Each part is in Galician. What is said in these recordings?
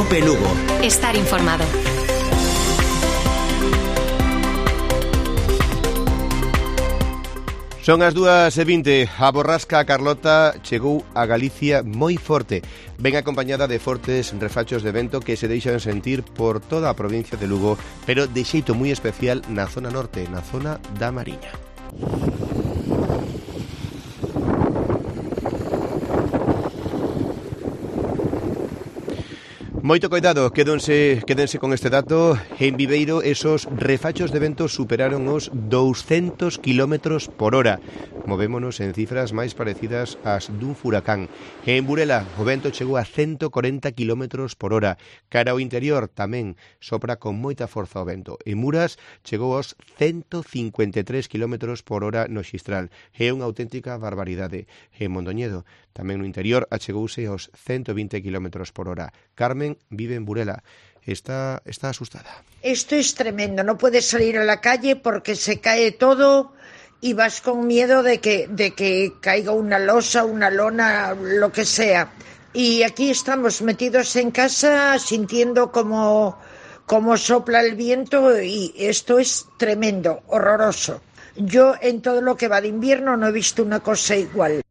COPE Lugo. Estar informado. Son as 2:20. A borrasca Carlota chegou a Galicia moi forte. Ven acompañada de fortes refachos de vento que se deixan sentir por toda a provincia de Lugo, pero de xeito moi especial na zona norte, na zona da Mariña. Moito coidado, quédense con este dato. En Viveiro, esos refachos de vento superaron os 200 km por hora. Movémonos en cifras máis parecidas ás dun furacán. En Burela, o vento chegou a 140 km por hora. Cara ao interior tamén sopra con moita forza o vento. En Muras chegou aos 153 km por hora no Xistral. É unha auténtica barbaridade. En Mondoñedo, tamén no interior, achegouse aos 120 km por hora. Carmen vive en Burela. Está asustada. Esto es tremendo. No puedes salir a la calle porque se cae todo y vas con miedo de que caiga una losa, una lona, lo que sea. Y aquí estamos metidos en casa sintiendo como sopla el viento y esto es tremendo, horroroso. Yo en todo lo que va de invierno no he visto una cosa igual.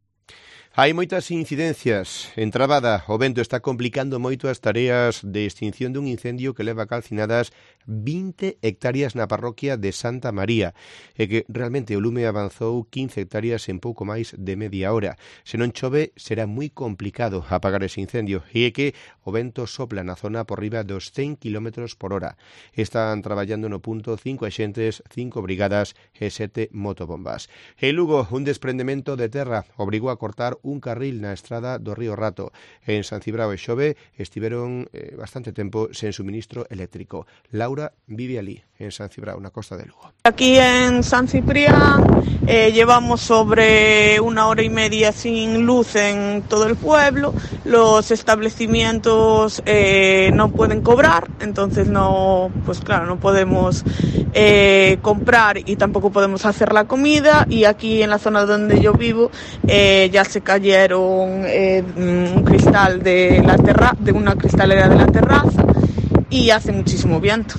Hai moitas incidencias. En Trabada, o vento está complicando moito as tareas de extinción dun incendio que leva calcinadas 20 hectáreas na parroquia de Santa María, e que realmente o lume avanzou 15 hectáreas en pouco máis de media hora. Se non chove, será moi complicado apagar ese incendio, e é que o vento sopla na zona por riba dos 100 km por hora. Están traballando no punto 5 axentes, 5 brigadas e 7 motobombas. En Lugo, un desprendemento de terra obrigou a cortar un carril na estrada do Río Rato. En San Cibrao e Xove estiveron bastante tempo sen suministro eléctrico. Laura vive ali, en San Cibrao, na costa de Lugo. Aquí en San Ciprián llevamos sobre 1 hora y media sin luz en todo el pueblo. Los establecimientos no pueden cobrar, entonces no podemos comprar y tampoco podemos hacer la comida. Y aquí en la zona donde yo vivo ya se cayeron un cristal de una cristalera de la terraza y hace muchísimo viento.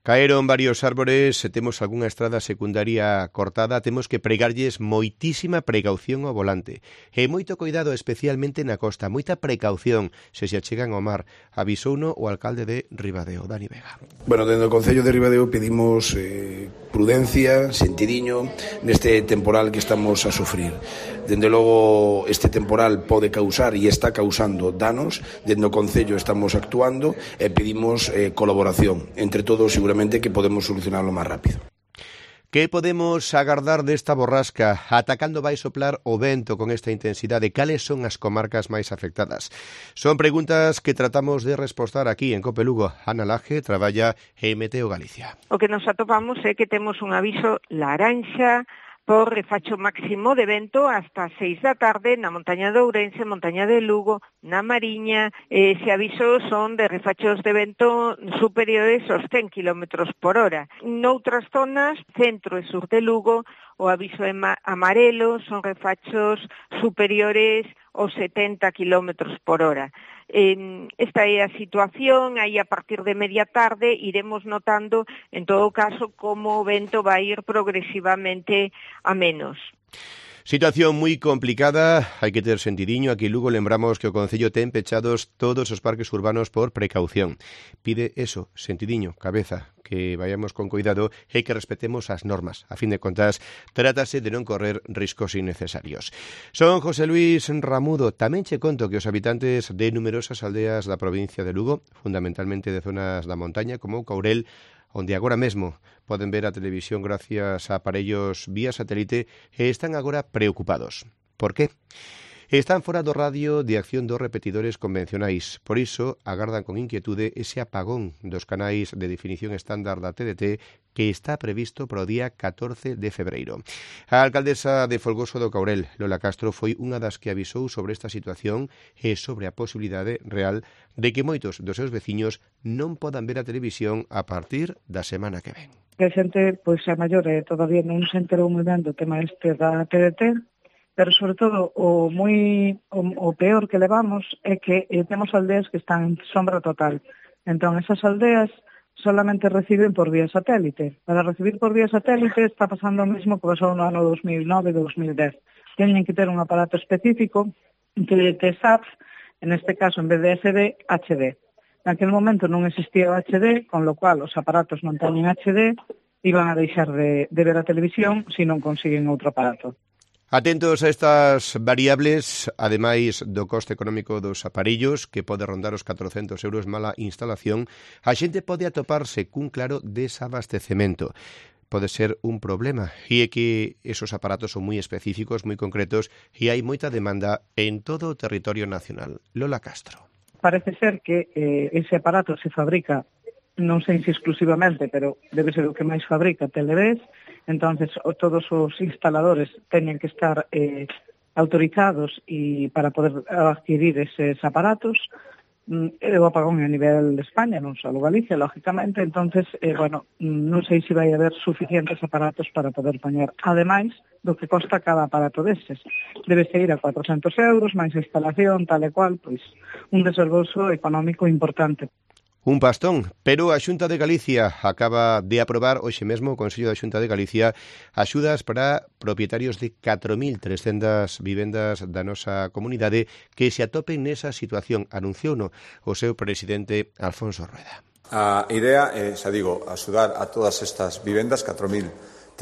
Caeron varios árbores, se temos algunha estrada secundaria cortada, temos que pregarlles moitísima precaución ao volante. E moito cuidado especialmente na costa, moita precaución se achegan ao mar. Avisouno o alcalde de Ribadeo, Dani Vega. Bueno, dentro do Concello de Ribadeo pedimos prudencia, sentidiño neste temporal que estamos a sufrir. Dende logo, este temporal pode causar e está causando danos. Dentro do Concello estamos actuando e pedimos colaboración. Entre todos, seguramente que podemos solucionarlo máis rápido. Que podemos agardar desta borrasca? Ata cando vai soplar o vento con esta intensidade? Cales son as comarcas máis afectadas? Son preguntas que tratamos de respostar aquí en COPE Lugo. Ana Laje traballa en Meteo Galicia. O que nos atopamos é que temos un aviso laranxa por refacho máximo de vento hasta 6 da tarde na montaña de Ourense, montaña de Lugo, na Mariña. Ese aviso son de refachos de vento superiores aos 100 km por hora. Noutras zonas, centro e sur de Lugo, o aviso é amarelo, son refachos superiores aos 70 km por hora. Esta é a situación, aí a partir de media tarde iremos notando, en todo caso, como o vento vai ir progresivamente a menos. Situación moi complicada, hai que ter sentidiño. Aquí en Lugo lembramos que o Concello ten pechados todos os parques urbanos por precaución. Pide eso, sentidiño, cabeza, que vayamos con cuidado e que respetemos as normas. A fin de contas, trátase de non correr riscos innecesarios. Son José Luis Ramudo. Tamén che conto que os habitantes de numerosas aldeas da provincia de Lugo, fundamentalmente de zonas da montaña como Courel, onde agora mesmo poden ver a televisión gracias a aparellos vía satélite, e están agora preocupados. Por qué? Están fora do radio de acción dos repetidores convencionais. Por iso, agardan con inquietude ese apagón dos canais de definición estándar da TDT que está previsto para o día 14 de febreiro. A alcaldesa de Folgoso do Caurel, Lola Castro, foi unha das que avisou sobre esta situación e sobre a posibilidade real de que moitos dos seus veciños non podan ver a televisión a partir da semana que ven. Que a xente, pois a maior, todavía non se enterou moi ben do tema este da TDT, Pero, sobre todo, o peor que levamos é que temos aldeas que están en sombra total. Entón, esas aldeas solamente reciben por vía satélite. Para recibir por vía satélite está pasando o mesmo que pasou no ano 2009 e 2010. Teñen que ter un aparato específico que te SAT, en este caso, en vez de SD, HD. Naquele momento non existía o HD, con lo cual os aparatos non teñen HD e van a deixar de ver a televisión se non consiguen outro aparato. Atentos a estas variables, ademais do coste económico dos aparellos, que pode rondar os 400 euros mala instalación, a xente pode atoparse cun claro desabastecemento. Pode ser un problema, e é que esos aparatos son moi específicos, moi concretos, e hai moita demanda en todo o territorio nacional. Lola Castro. Parece ser que ese aparato se fabrica, non sei se exclusivamente, pero debe ser o que máis fabrica Televés, entonces todos os instaladores teñen que estar autorizados e para poder adquirir eses aparatos. O apagón a nivel de España, non só Galicia, lógicamente, entonces, non sei se vai haber suficientes aparatos para poder poñer, ademais do que costa cada aparato deses. Debe ir a 400 euros, máis a instalación, tal e cual, pois un desembolso económico importante. Un pastón, pero a Xunta de Galicia acaba de aprobar hoxe mesmo o Consello da Xunta de Galicia axudas para propietarios de 4.300 vivendas da nosa comunidade que se atopen nesa situación, anunciouno o seu presidente Alfonso Rueda. A idea é, xa digo, axudar a todas estas vivendas, 4.300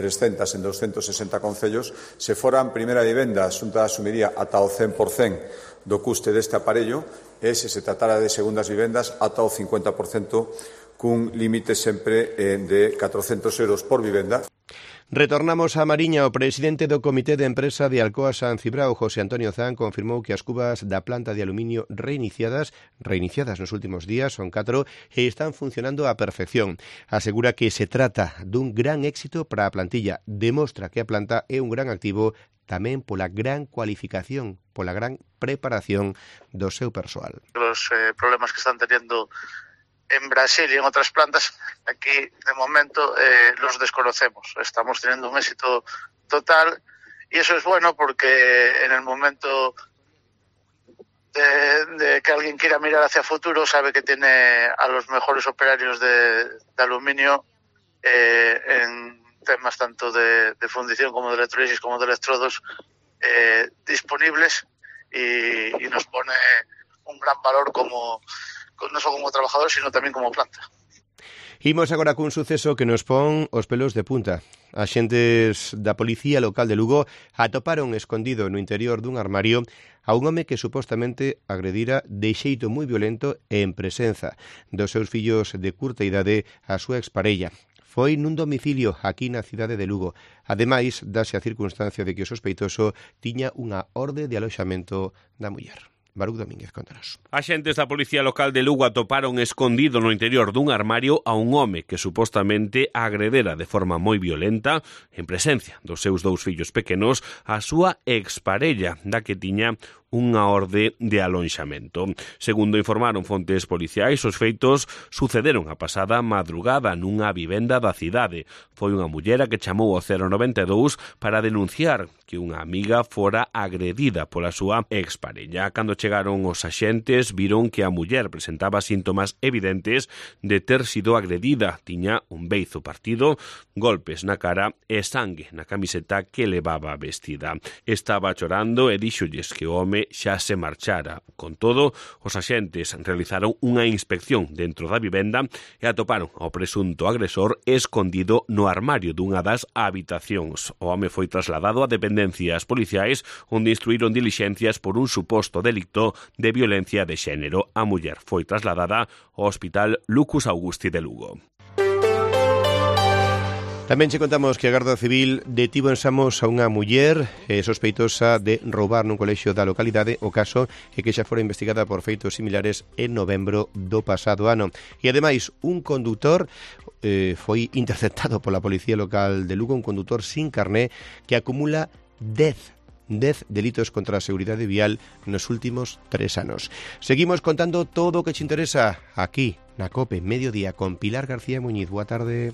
en 260 concellos. Se foran primeira vivenda, a Xunta asumiría ata o 100% do custe deste aparello, e se se tratara de segundas vivendas ata o 50%, cun límite sempre de 400 euros por vivenda. Retornamos a Mariña. O presidente do Comité de Empresa de Alcoa San Cibrao, José Antonio Zan, confirmou que as cubas da planta de aluminio reiniciadas nos últimos días, son 4, e están funcionando á perfección. Asegura que se trata dun gran éxito para a plantilla. Demostra que a planta é un gran activo tamén pola gran cualificación, pola gran preparación do seu persoal. Los problemas que están teniendo en Brasil y en otras plantas, aquí de momento los desconocemos. Estamos teniendo un éxito total y eso es bueno porque en el momento de que alguien quiera mirar hacia futuro sabe que tiene a los mejores operarios de aluminio en temas tanto de fundición como de electrolisis como de electrodos disponibles y nos pone un gran valor como non só como trabajador, sino tamén como planta. Imos agora cun suceso que nos pon os pelos de punta. Axentes da Policía Local de Lugo atoparon escondido no interior dun armario a un home que supostamente agredira de xeito moi violento e en presenza dos seus fillos de curta idade a súa exparella. Foi nun domicilio aquí na cidade de Lugo. Ademais, dase a circunstancia de que o sospeitoso tiña unha orde de aloxamento da muller. Baruch Domínguez, contanos. Axentes da Policía Local de Lugo atoparon escondido no interior dun armario a un home que supostamente agredera de forma moi violenta, en presencia dos seus 2 fillos pequenos, a súa exparella, da que tiña unha orde de alonxamento. Segundo informaron fontes policiais, os feitos sucederon a pasada madrugada nunha vivenda da cidade. Foi unha mullera que chamou ao 092 para denunciar que unha amiga fora agredida pola súa exparella. Cando chegaron os axentes, viron que a muller presentaba síntomas evidentes de ter sido agredida. Tiña un beizo partido, golpes na cara e sangue na camiseta que levaba vestida. Estaba chorando e díxolles que o home xa se marchara. Con todo, os axentes realizaron unha inspección dentro da vivenda e atoparon ao presunto agresor escondido no armario dunha das habitacións. O home foi trasladado a dependencias policiais onde instruíron dilixencias por un suposto delito de violencia de xénero. A muller foi trasladada ao Hospital Lucus Augusti de Lugo. Tamén che contamos que a Garda Civil detivo en Samos a unha muller sospeitosa de roubar nun colexio da localidade. O caso é que xa fora investigada por feitos similares en novembro do pasado ano. E ademais, un condutor foi interceptado pola Policía Local de Lugo, un condutor sin carné que acumula 10 delitos contra a seguridade vial nos últimos 3 anos. Seguimos contando todo o que te interesa aquí na COPE Mediodía con Pilar García Muñiz. Boa tarde.